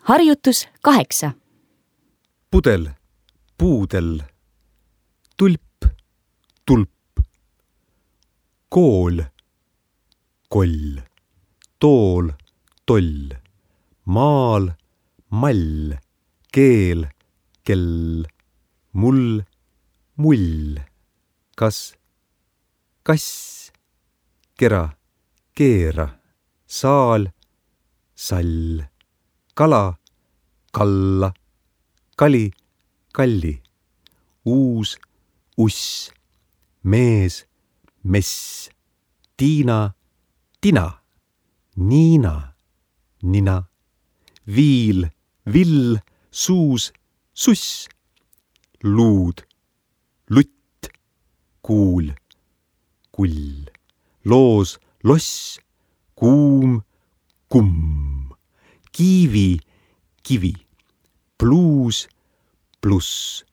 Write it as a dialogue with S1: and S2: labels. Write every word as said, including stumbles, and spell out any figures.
S1: Harjutus kaheksa.
S2: Pudel, puudel. Tulp, tulp. Kool, koll. Tool, toll. Maal, mall. Keel, kell. Mull, mull. Kas, kass. Kera, keera. Saal, sall. Kala, kalla. Kali, kalli. Uus, uss. Mees, mess. Tiina, tina. Niina, nina. Viil, vill. Suus, suss. Luud, lutt. Kuul, kull. Loos, loss. Kuum, kumm. Kiivi, kivi. Pluus, pluss.